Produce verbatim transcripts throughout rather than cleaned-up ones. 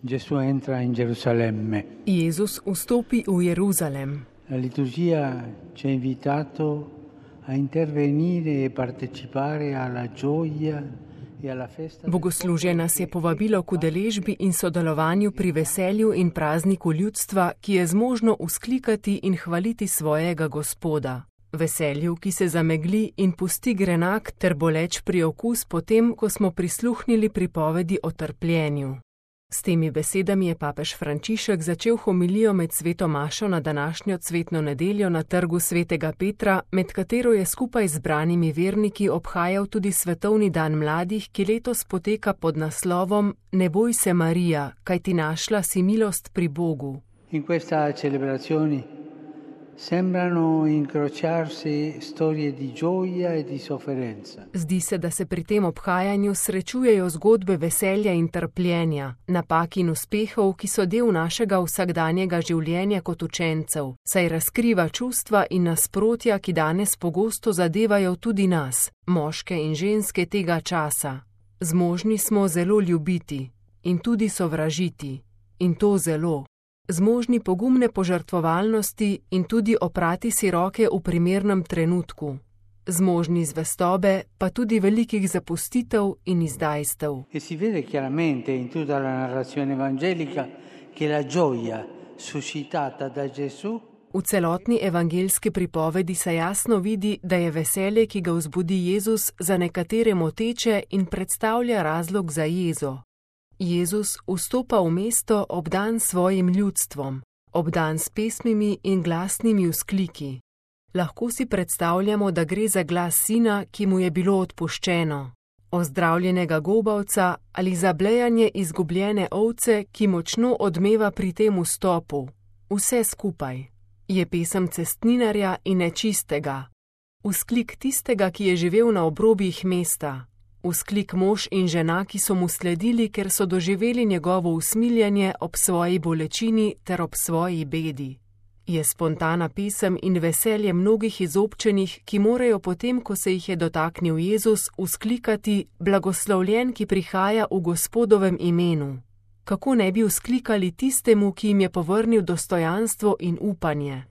Gesù entra in Gerusalemme. Jezus vstopi v Jeruzalem. La liturgia ci ha invitato a intervenire e partecipare alla gioia e alla festa. Bogoslužje nas je povabilo k udeležbi in sodelovanju pri veselju in prazniku ljudstva, ki je zmožno vzklikati in hvaliti svojega Gospoda. Veselju, ki se zamegli in pusti grenak ter boleč priokus potem, ko smo prisluhnili pripovedi o trpljenju. S temi besedami je papež Frančišek začel homilijo med sveto mašo na današnjo cvetno nedeljo na trgu svetega Petra, med katero je skupaj z zbranimi verniki obhajal tudi svetovni dan mladih, ki letos poteka pod naslovom Ne boj se, Marija, kajti našla si milost pri Bogu. In questa celebrazione sembrano incrociarsi storie di gioia e di sofferenza. Zdi se, da se pri tem obhajanju srečujejo zgodbe veselja in trpljenja, napak in uspehov, ki so del našega vsakdanjega življenja kot učencev, saj razkriva čustva in nasprotja, ki danes pogosto zadevajo tudi nas, moške in ženske tega časa. Zmožni smo zelo ljubiti in tudi sovražiti, in to zelo. Zmožni pogumne požrtvovalnosti in tudi oprati si roke v primernem trenutku. Zmožni zvestobe, pa tudi velikih zapustitev in izdajstev. E si vede chiaramente in tutta la narrazione evangelica che la gioia suscitata da Gesù. V celotni evangeljski pripovedi se jasno vidi, da je veselje, ki ga vzbudi Jezus, za nekatere moteče in predstavlja razlog za jezo. Jezus vstopa v mesto obdan svojim ljudstvom, obdan s pesmimi in glasnimi vzkliki. Lahko si predstavljamo, da gre za glas sina, ki mu je bilo odpuščeno, ozdravljenega gobavca ali za blejanje izgubljene ovce, ki močno odmeva pri tem vstopu. Vse skupaj. Je pesem cestninarja in nečistega. Vzklik tistega, ki je živel na obrobjih mesta. Vzklik mož in žena, ki so mu sledili, ker so doživeli njegovo usmiljanje ob svoji bolečini ter ob svoji bedi. Je spontana pesem in veselje mnogih izobčenih, ki morajo potem, ko se jih je dotaknil Jezus, vzklikati blagoslovljen, ki prihaja v Gospodovem imenu. Kako ne bi vzklikali tistemu, ki jim je povrnil dostojanstvo in upanje?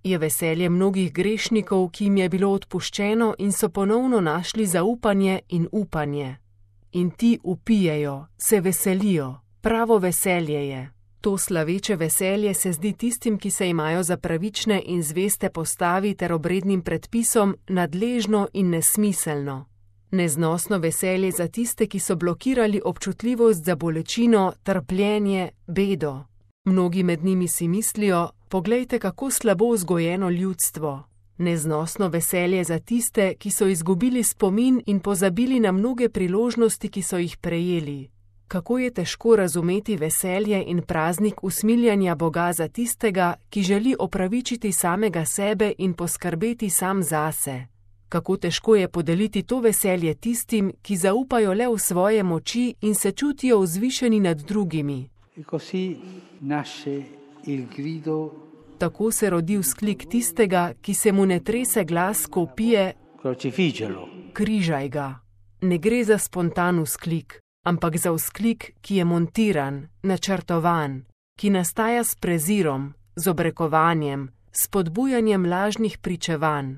Je veselje mnogih grešnikov, ki jim je bilo odpuščeno in so ponovno našli zaupanje in upanje. In ti upijejo, se veselijo, pravo veselje je. To slaveče veselje se zdi tistim, ki se imajo za pravične in zveste postavi ter obrednim predpisom, nadležno in nesmiselno. Neznosno veselje za tiste, ki so blokirali občutljivost za bolečino, trpljenje, bedo. Mnogi med njimi si mislijo: poglejte, kako slabo vzgojeno ljudstvo. Neznosno veselje za tiste, ki so izgubili spomin in pozabili na mnoge priložnosti, ki so jih prejeli. Kako je težko razumeti veselje in praznik usmiljanja Boga za tistega, ki želi opravičiti samega sebe in poskrbeti sam zase. Kako težko je podeliti to veselje tistim, ki zaupajo le v svoje moči in se čutijo vzvišeni nad drugimi. E così nasce il grido. Tako se rodi vzklik tistega, ki se mu ne trese glas, ko vpije: Crocifiggelo. Križaj ga. Ne gre za spontan vzklik, ampak za vzklik, ki je montiran, načrtovan, ki nastaja s prezirom, z obrekovanjem, s spodbujanjem lažnih pričevanj.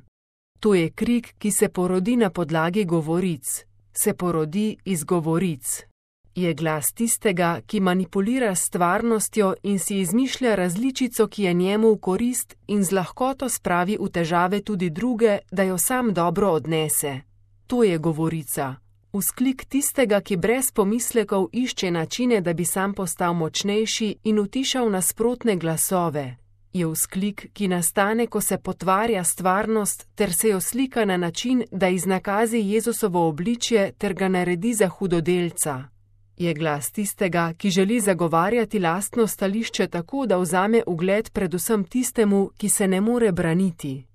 To je krik, ki se porodi na podlagi govoric, se porodi iz govoric. Je glas tistega, ki manipulira s stvarnostjo in si izmišlja različico, ki je njemu v korist in z lahkoto spravi v težave tudi druge, da jo sam dobro odnese. To je govorica. Vzklik tistega, ki brez pomislekov išče načine, da bi sam postal močnejši in utišal nasprotne glasove. Je vzklik, ki nastane, ko se potvarja stvarnost ter se jo slika na način, da iznakazi Jezusovo obličje ter ga naredi za hudodelca. Je glas tistega, ki želi zagovarjati lastno stališče tako, da vzame ugled predvsem tistemu, ki se ne more braniti.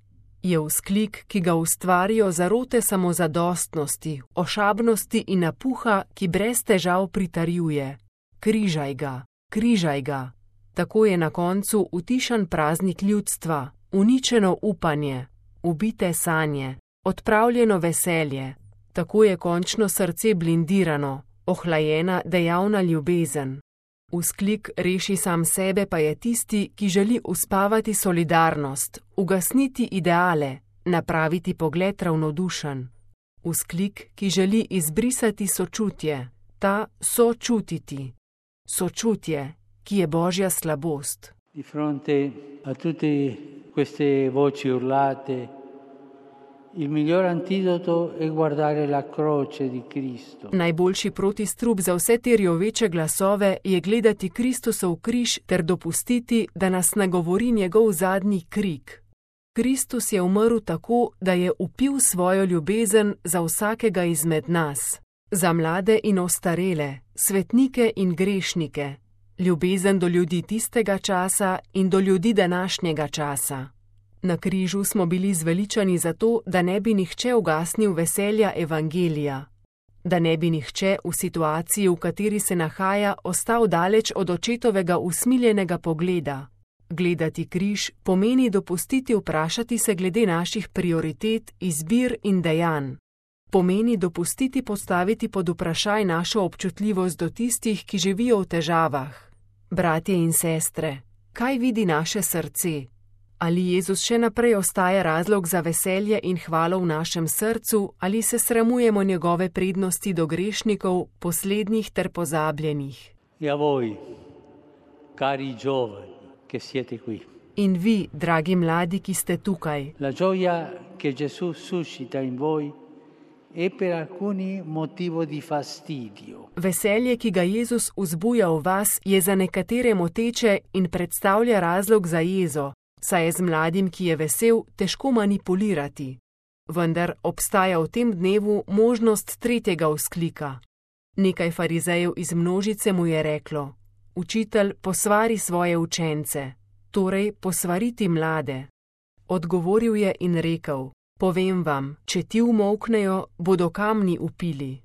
Je vzklik, ki ga ustvarijo zarote samozadostnosti, ošabnosti in napuha, ki brez težav pritarjuje. Križaj ga, križaj ga. Tako je na koncu utišan praznik ljudstva, uničeno upanje, ubite sanje, odpravljeno veselje. Tako je končno srce blindirano, ohlajena dejavna ljubezen. Vzklik reši sam sebe pa je tisti, ki želi uspavati solidarnost, ugasniti ideale, napraviti pogled ravnodušen. Vzklik, ki želi izbrisati sočutje, ta sočutiti. Sočutje, ki je božja slabost. Di fronte a tutte queste voci urlate, il miglior antidoto è guardare la croce di Cristo. Najboljši protistrup za vse te rjoveče glasove je gledati Kristusov križ ter dopustiti, da nas nagovori njegov zadnji krik. Kristus je umrl tako, da je upil svojo ljubezen za vsakega izmed nas, za mlade in ostarele, svetnike in grešnike, ljubezen do ljudi tistega časa in do ljudi današnjega časa. Na križu smo bili zveličani zato, da ne bi nihče ugasnil veselja evangelija, da ne bi nihče v situaciji, v kateri se nahaja, ostal daleč od očetovega usmiljenega pogleda. Gledati križ pomeni dopustiti vprašati se glede naših prioritet, izbir in dejanj. Pomeni dopustiti postaviti pod vprašaj našo občutljivost do tistih, ki živijo v težavah. Bratje in sestre, kaj vidi naše srce? Ali Jezus še naprej ostaja razlog za veselje in hvalo v našem srcu, ali se sramujemo njegove prednosti do grešnikov, poslednjih ter pozabljenih? E a voi, cari giovani, che siete qui. In vi, dragi mladi, ki ste tukaj. La gioia che Gesù suscita in voi è per alcuni motivo di fastidio. Veselje, ki ga Jezus vzbuja v vas, je za nekatere moteče in predstavlja razlog za jezo, saj je z mladim, ki je vesel, težko manipulirati. Vendar obstaja v tem dnevu možnost tretjega vzklika. Nekaj farizejev iz množice mu je reklo: Učitelj, posvari svoje učence, torej posvariti mlade. Odgovoril je in rekel: Povem vam, če ti umolknejo, bodo kamni upili.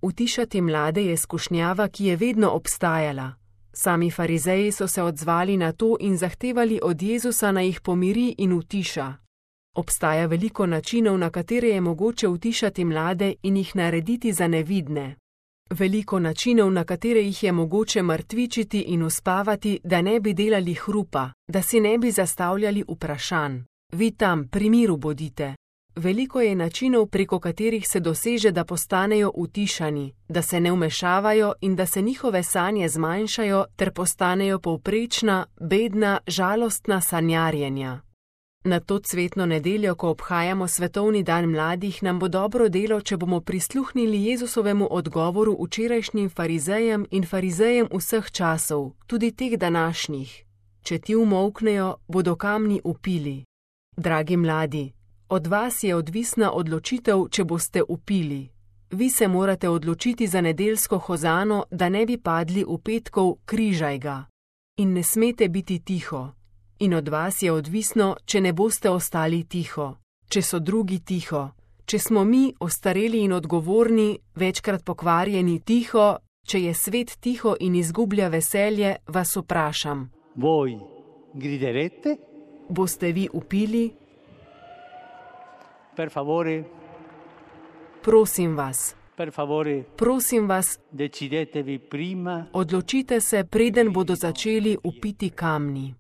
Utišati mlade je skušnjava, ki je vedno obstajala. Sami farizeji so se odzvali na to in zahtevali od Jezusa, naj jih pomiri in utiša. Obstaja veliko načinov, na katere je mogoče utišati mlade in jih narediti za nevidne. Veliko načinov, na katere jih je mogoče mrtvičiti in uspavati, da ne bi delali hrupa, da si ne bi zastavljali vprašanj. Vi tam, pri miru bodite. Veliko je načinov, preko katerih se doseže, da postanejo utišani, da se ne vmešavajo in da se njihove sanje zmanjšajo ter postanejo povprečna, bedna, žalostna sanjarjenja. Na to cvetno nedeljo, ko obhajamo svetovni dan mladih, nam bo dobro delo, če bomo prisluhnili Jezusovemu odgovoru včerajšnjim farizejem in farizejem vseh časov, tudi teh današnjih. Če ti umolknejo, bodo kamni upili. Dragi mladi, od vas je odvisna odločitev, če boste upili. Vi se morate odločiti za nedeljsko hozano, da ne bi padli v petkov križaj ga. In ne smete biti tiho. In od vas je odvisno, če ne boste ostali tiho. Če so drugi tiho. Če smo mi, ostareli in odgovorni, večkrat pokvarjeni, tiho, če je svet tiho in izgublja veselje, vas vprašam. Voi griderete? Boste vi upili? Per favore, Prosim vas, per favore, prosim vas, decidetevi prima odločite se, preden bodo začeli upiti kamni.